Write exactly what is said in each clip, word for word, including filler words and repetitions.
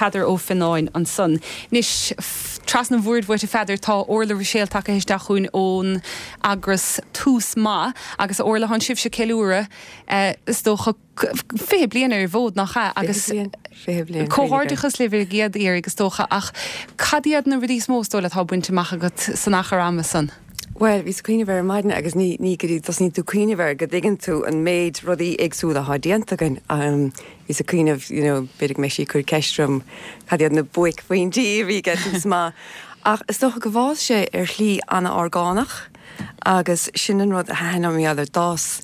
Peadar Ó Fionnáin ansan. Anois trasna an bhoird uait a Pheadair tá Orla Ruiséal tagtha isteach chugainn ón eagras Tús Maith agus Orla tá sibhse ag ceiliúradh eh, is dócha fiche bliain ar an bhfód nach ea agus Comhghairdeachas libh ar an gcéad iarraidh is dócha ach cad iad na rudaí is mó is dóigh leat atá bainte amach agat san achar ama san. Well, bhíos ag cuimhneamh ar maidin agus ní ní go dtí tosnaíonn tú cuimhneamh air go dtuigeann tú an méid rudaí éagsúla atá déanta againn. Um, bhíos ag cuimhneamh you know, b'fhéidir go mbeidh sí ag cur ceist orm cad iad na buaicphointí a bhí ag Tús Maith. Ach is dócha go bhfás sé ar shlí an-orgánach agus sin an rud a thaitníonn liom ar d'fhás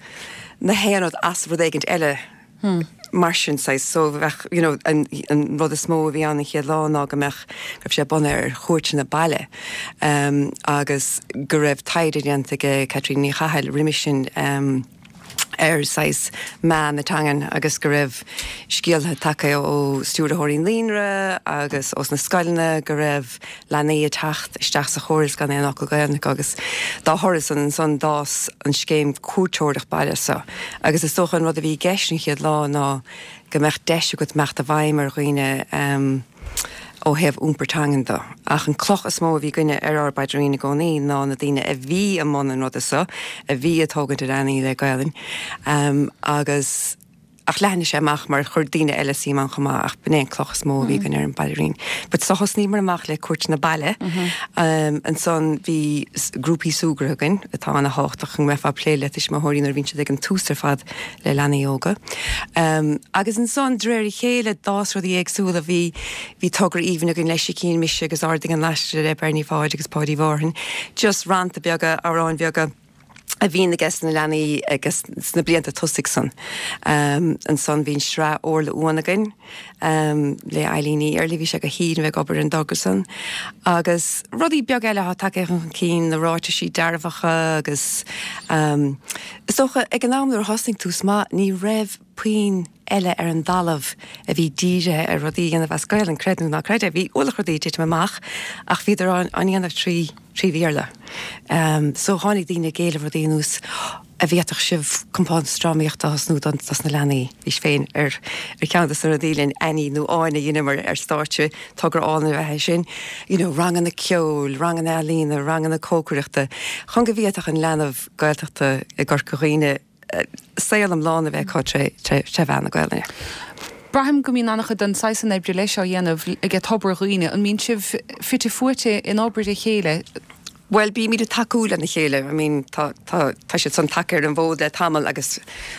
na haon rud as rud éigin eile. Hmm. Mar sin sais so bheadh you know, an, an rud is mó a bhí an an chéad lá ná go mbeadh go raibh sé bunaithe ar chuairteanna baile um, agus go raibh taighde déanta ag Catríona Ní Chathail roimhe sin um, ar sais meath na teangan agus go raibh scéalta tagtha ó stiúrthóirí naíonra agus ós na scoileanna go raibh leanaí ag teacht isteach sa chóras gan aon fhocal Gaeilge agus dá thoradh san san d'fhás an scéim cuairteoireacht baile so. Agus is dócha an rud a bhí i gceist an chéad lá ná go mbeadh deis agat imeacht i bhfeidhm ar dhaoine um, ó thaobh iompar teangan de. Ach an cloch is mó a bhí againne ar ár bpaidrín i gcónaí ná na daoine a bhí i mbun an ruda so, a bhí ag tógaint a leanaí le Gaelainn. Um, agus ach leathnaigh sé amach mar chuir daoine eile suim ann chomh maith ach b'in é an cloch is mó a bhí againn ar an bpaidrín. But so thosnaíomar amach le cuairteanna baile. Um, ansan bhí grúpaí súgartha againn atá an-tábhachtach go mbeifeá ag plé le tuismitheoirí nuair a bhíonn siad ag an tús ar fad le leanaí óga. Um, agus ansan de réir a chéile d'fhás rudaí éagsúla bhí bhí togra aoibhinn againn le Sicín Mise agus Ardaigh an Laiste le Bernie Pháid agus Páidí Mhárthain. Just rannta beaga amhráin bheaga a bhíonn aige na leanaí agus sna blianta tosaigh san. Um, ansan bhí sraith Orla Uan againn um, le Eileen Ní Earlaí bhí sé go hín bheith obair an dogger san. Agus rudaí beag eile atá tagtha chun cinn na ráitisí dearfacha agus um, is dócha ag an am nuair a thosnaigh Tús Maith ní raibh puinn eile ar an dtalamh a bhí dírithe ar rudaí a dhéanamh as Gaelainn creid nó ná creid é bhí ualach rudaí titim amach ach bhíodar á ndéanamh trí trí Bhéarla. Um, so tháinig daoine ag éileamh rudaí anuas a bhféadfadh sibh compántas drámaíochta a thosnú don dos na leanaí bhís féin ar ar cheann de na rudaí linn Annie nó Áine a dheineamar ar stáitse togra álainn a bheith sin, you know, ranganna ceoil, ranganna ealaíne, ranganna cócaireachta, chun go bhféadfadh an leanbh Gaeltachta i gCorca Dhuibhne saol iomlán a bheith acu tré mheán na Gaelainne. Braithim go mbíonn an-chuid den saghas san oibre leis á dhéanamh ag Tobar Dhuibhne, an mbíonn sibh fite fuaite in obair a chéile. Well bímid ag tacú lena chéile, I mean tá tá tá siad san tagtha ar an bhfód le tamall agus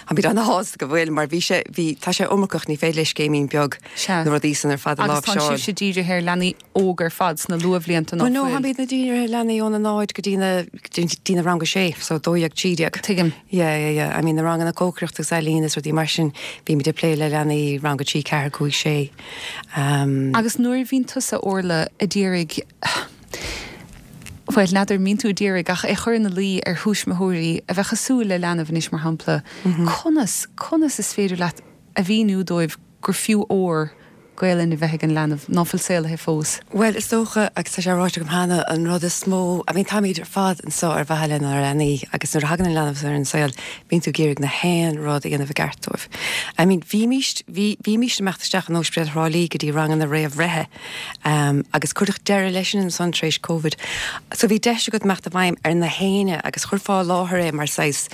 táimid an-shásta go bhfuil mar bhí sé bhí tá sé iomarcach ní féidir le scéimín beag na rudaí san ar fad a Agus tá láimhseáil. sibhse dírithe ar leanaí óg ar fad sna luathbhlianta Well no, táimid dírithe ar leanaí óna náid go dtí na dtí na rang a sé, so dó dhéag trí déag. Tuigim. Yeah, yeah, yeah. I mean na ranganna cócaireachta agus ealaíon is rudaí mar sin bímid ag plé le leanaí rang a trí ceathair cúig sé. Um, Agus nuair a bhíonn tusa Orla ag iarraidh Well n'fheadar an mbíonn tú ag iarraidh ach é chur ina luí ar thuismitheoirí a bheith cosúil le leanbh anois mar shampla. Conas conas is féidir leat a mhíniú dóibh gur fiú ór Gaelainn a bheith ag an leanbh ná fuil saolaithe fós. Well is dócha agus tá sé ráite agam cheana an rud is mó I mean táimid ar fad anseo ar mhaithe lenár leanaí agus nuair a thagann an leanbh ar an saol bíonn tú ag iarraidh na haon rud a dhéanamh i gceart dóibh. I mean bhímist bhí bhímist ag imeacht isteach an Ospidéal Thrá Lí go dtí ranganna réamhbhreithe um, agus cuireadh deireadh leis sin ansan tar éis COVID. So bhí deis agat imeacht i bhfeidhm ar na héinne agus chuirfeá i láthair é mar saghas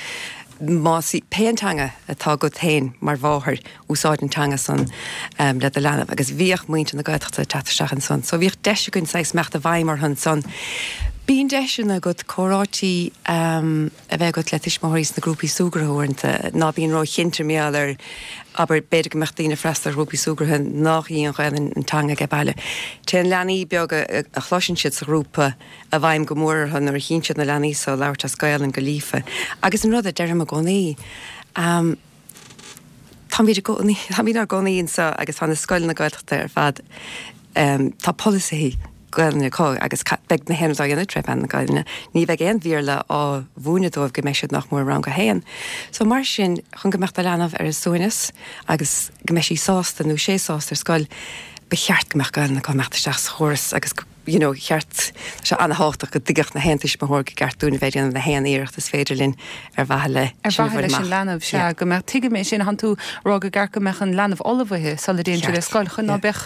más í pé an teanga atá agat féin mar mháthair úsáid an teanga san um, le do leanbh agus bhíodh muintir na Gaeltachta teacht isteach ansan, so bhíodh deis againn saghas imeacht i bhfeidhm orthu ansan. Bíonn deiseanna agat comhráití um, a bheith agat le tuismitheoirí sna grúpaí súgartha uaireanta ná bíonn róchinnte mar gheall ar abair b'fhéidir go mbeadh daoine freastal ar ghrúpaí súgartha nach í an Ghaelainn an teanga ag baile. Téann leanaí beaga a, a chloiseann siad sa ghrúpa i bhfeidhm go mór orthu nuair a chíonn siad na leanaí so labhairt as Gaelainn go líofa. Agus an rud a deirim i gcónaí, um, Táimid i gcónaí táimid ár gcónaí anseo agus tá na scoileanna Gaeltachta ar fad um, tá polasaithe Gaelainne acu agus beidh na haon rud á dhéanamh tré mheán na Gaelainne. Ní bheidh aon Bhéarla á mhúineadh dóibh go mbeidh siad nach mór rang a haon. So mar sin chun go mbeadh do leanbh ar a suaimhneas agus go mbeidh sí sásta nó sé sásta ar scoil, ba cheart go mbeadh Gaelainn acu imeacht isteach sa chóras agus you know, cheart sé an-tábhachtach go dtuigfeadh na haon tuismitheoir gur ceart dúinn a bheith ag déanamh na haon iarracht is féidir linn ar mhaithe le Ar mhaithe leis an leanbh sea go mbeadh tuigim é sin thánn tú ag rá gur ceart go mbeadh an leanbh ullmhaithe sula dtéann siad ar scoil chun ná beadh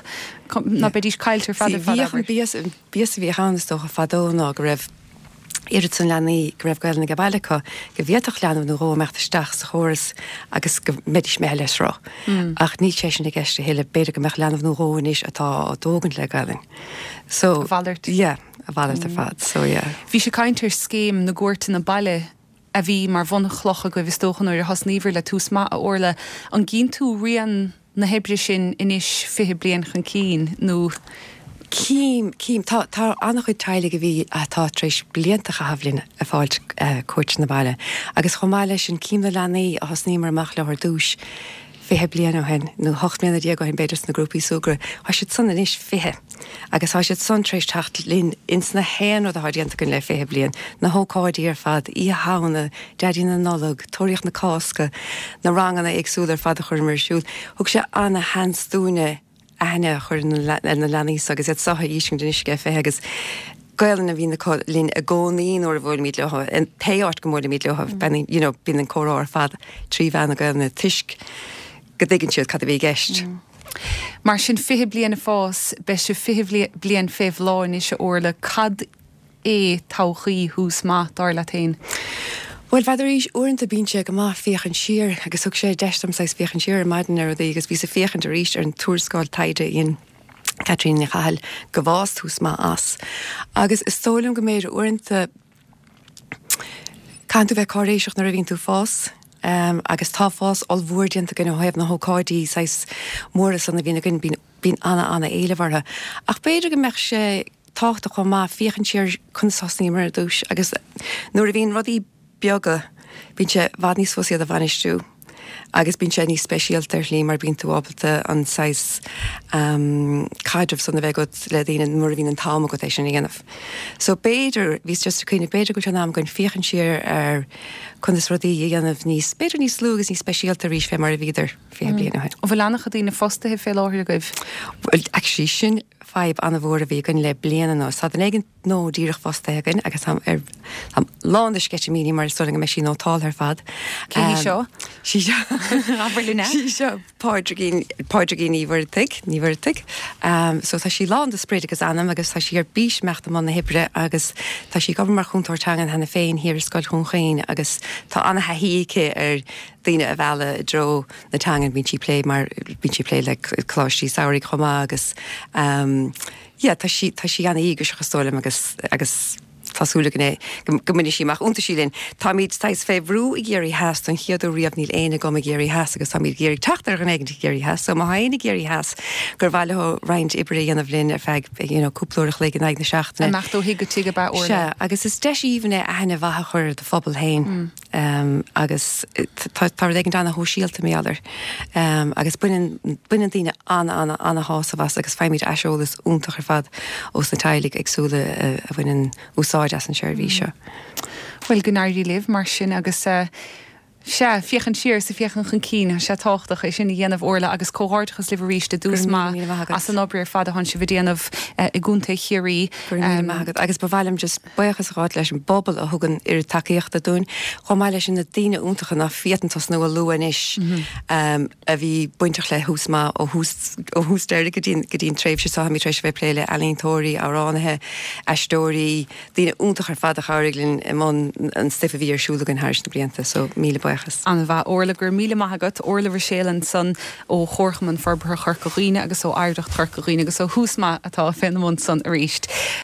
ná beidís caillte ar fad ar fad Bhíodh an bias bias a bhíodh ann is dócha fadó ná go raibh oiread san leanaí go raibh Gaelainn ag baile acu go bhféadfadh leanbh nó dhó imeacht isteach sa chóras agus go mbeidís imithe le sruth. Mm. Ach níl sé sin i gceist a thuilleadh b'fhéidir go mbeadh leanbh nó dhó anois atá á dtógaint le Gaelainn. So a mhalairt. Yeah, a mhalairt ar fad, so yeah. Bhí sé caint ar scéim na gcuairteanna baile a bhí mar bhunchloch agaibh is dócha nuair a thosnaíobhair le Tús Maith a Orla an gcíonn tú rian na hoibre sin anois fiche bliain chun cinn nó Cím cím tá tá an-chuid teaghlaigh a bhí atá tar éis blianta a chaitheamh linn ag fáilt uh, cuairteanna baile. Agus chomh maith leis sin cím na leanaí a thosnaíomar amach leo ar dtús fiche bliain ó shin nó ocht mbliana déag ó shin b'fhéidir sna grúpaí súgartha, Tá siad san anois fiche. Agus tá siad san tar éis teacht linn ins na haon rud atá déanta againn le fiche bliain, na hócáidí ar fad, Oíche Shamhna, Daidí na Nollag, Tóraíocht na Cásca, na ranganna éagsúla ar fad a chuireamar ar siúl. Thug sé ana-sheans dúinne aithne a chur ar na leanaí agus iad seo aois anois fiche agus Gaelainn a bhíonn acu linn i gcónaí nuair a bhuailimid leo in pé áit go mbuailimid leo you know, bíonn an comhrá ar fad trí mheán na Gaelainne toisc go dtuigeann siad cad a bhí i gceist. Mm. Mar sin fiche bliain ag fás beidh sé fiche bliain fé bhláth anois a Orla cad é todhchaí Thús Maith dar leat féin. Well b'fhéidir arís uaireanta bíonn sé go maith féachaint siar agus thug sé deis dom saghas féachaint siar ar maidin ar rudaí agus bhíos ag féachaint arís ar an tuarascáil taighde a dhein Caitríona Ní Chathail go bhfás Tús Maith as. Agus is dóigh liom go mb'fhéidir uaireanta caithfidh tú bheith cáiréiseach nuair a bhíonn tú ag fás. Um, agus tá fás ollmhór déanta againn ó thaobh na hócáidí saghas móra san a bhíonn againn bíonn bíonn ana-ana-éileamh orthu. Ach b'fhéidir go mbeadh sé tábhachtach chomh maith féachaint siar conas a thosnaíomar ar dtús agus nuair a bhíonn rudaí beaga bíonn sé i bhfad níos fusa iad a bhainistiú agus bíonn sé níos speisialta ar shlí mar bíonn tú ábalta an saghas um, caidreamh san a bheith agat le daoine nuair a bhíonn an t-am agat é sin a dhéanamh. So b'fhéidir bhíos just ag cuimhneamh b'fhéidir go bhfuil sé in am againn féachaint siar ar conas rudaí a dhéanamh níos b'fhéidir níos lú agus níos speisialta arís fé mar a bhíodar fiche bliain ó shin. An bhfuil an-chuid daoine fostaithe fé láthair agaibh? Well, actually sin fadhb an-mhór a bhí againn le bliain anuas. Tá duine éigin nua díreach fostaithe againn agus táim ar táim lán de sceitimíní mar is dóigh liom go mbeidh sí nótáltha ar fad. Cé hí seo? Sí seo Abair linn é. Sí seo Pádraigín Pádraigín Ní Mhuirthigh Ní Mhuirthigh. Um, so tá sí lán de sprid agus anam agus tá sí ar bís imeacht i mbun na hoibre agus tá sí ag obair mar chúntóir teangan cheana féin thiar i Scoil Dhún Chaoin agus tá an-thaithí aici ar daoine a mhealladh i dtreo na teangan bíonn sí ag plé mar bíonn sí ag plé le coláistí samhraidh chomh maith agus um, yeah, tá sí tá sí an-íograiseach is dóigh liom agus agus tá súil againn go go mbainfidh sí amach iontaisí linn. Táimid saghas fé bhrú i gCiarraí Theas don chéad uair riamh níl éinne agam i gCiarraí Theas agus táimid ag iarraidh teacht ar dhuine éigin i gCiarraí Theas, so má tá éinne i gCiarraí Theas gur mhaith leo roinnt oibre a dhéanamh linn ar feadh you know, cúpla uair a chloig in aghaidh na seachtaine. Imeacht ó thigh go tigh ab ea Orla. Sea, agus is deis aoibhinn é aithne mhaith a chur ar do phobal féin. Mm. Um, agus tá tá rud éigin ana-shóisialta mar gheall air. Um, agus baineann baineann daoine ana ana ana-shásamh as agus faighimid aiseolas iontach ar fad ós na teaghlaigh éagsúla a, a bhaineann úsáid as an seirbhís seo. Bhuel go n-éirí libh mar sin agus uh, Sea, féachaint siar is féachaint chun cinn sé tábhachtach é sin a dhéanamh Orla agus comhghairdeachas libh arís i dTús Maith as an obair ar fad atá sibh a dhéanamh uh, i gContae Chiarraí. Um, agus ba mhaith liom just buíochas a ghabháil leis an bpobal a thugann oiread tacaíochta dúinn, chomh maith leis na daoine iontacha nach bhféadfainn tosnú a lua anois mm -hmm. um, a bhí bainteach le Tús Maith ó thús ó thús deireadh go dtí go dtí an tréimhse seo tar éis bheith ag plé le ealaíontóirí, amhránaithe, aisteoirí, daoine iontacha ar fad a chabhraigh linn i mbun an stuif a bhí ar siúl againn thar na blianta, so míle buíochas. An-mhaith Orla go raibh míle maith agat Orla Ruiséal ansan ó Chomharchumann Forbartha Chorca Dhuibhne agus ó Oidhreacht Chorca Dhuibhne agus ó Thús Maith atá féna mbun san arís.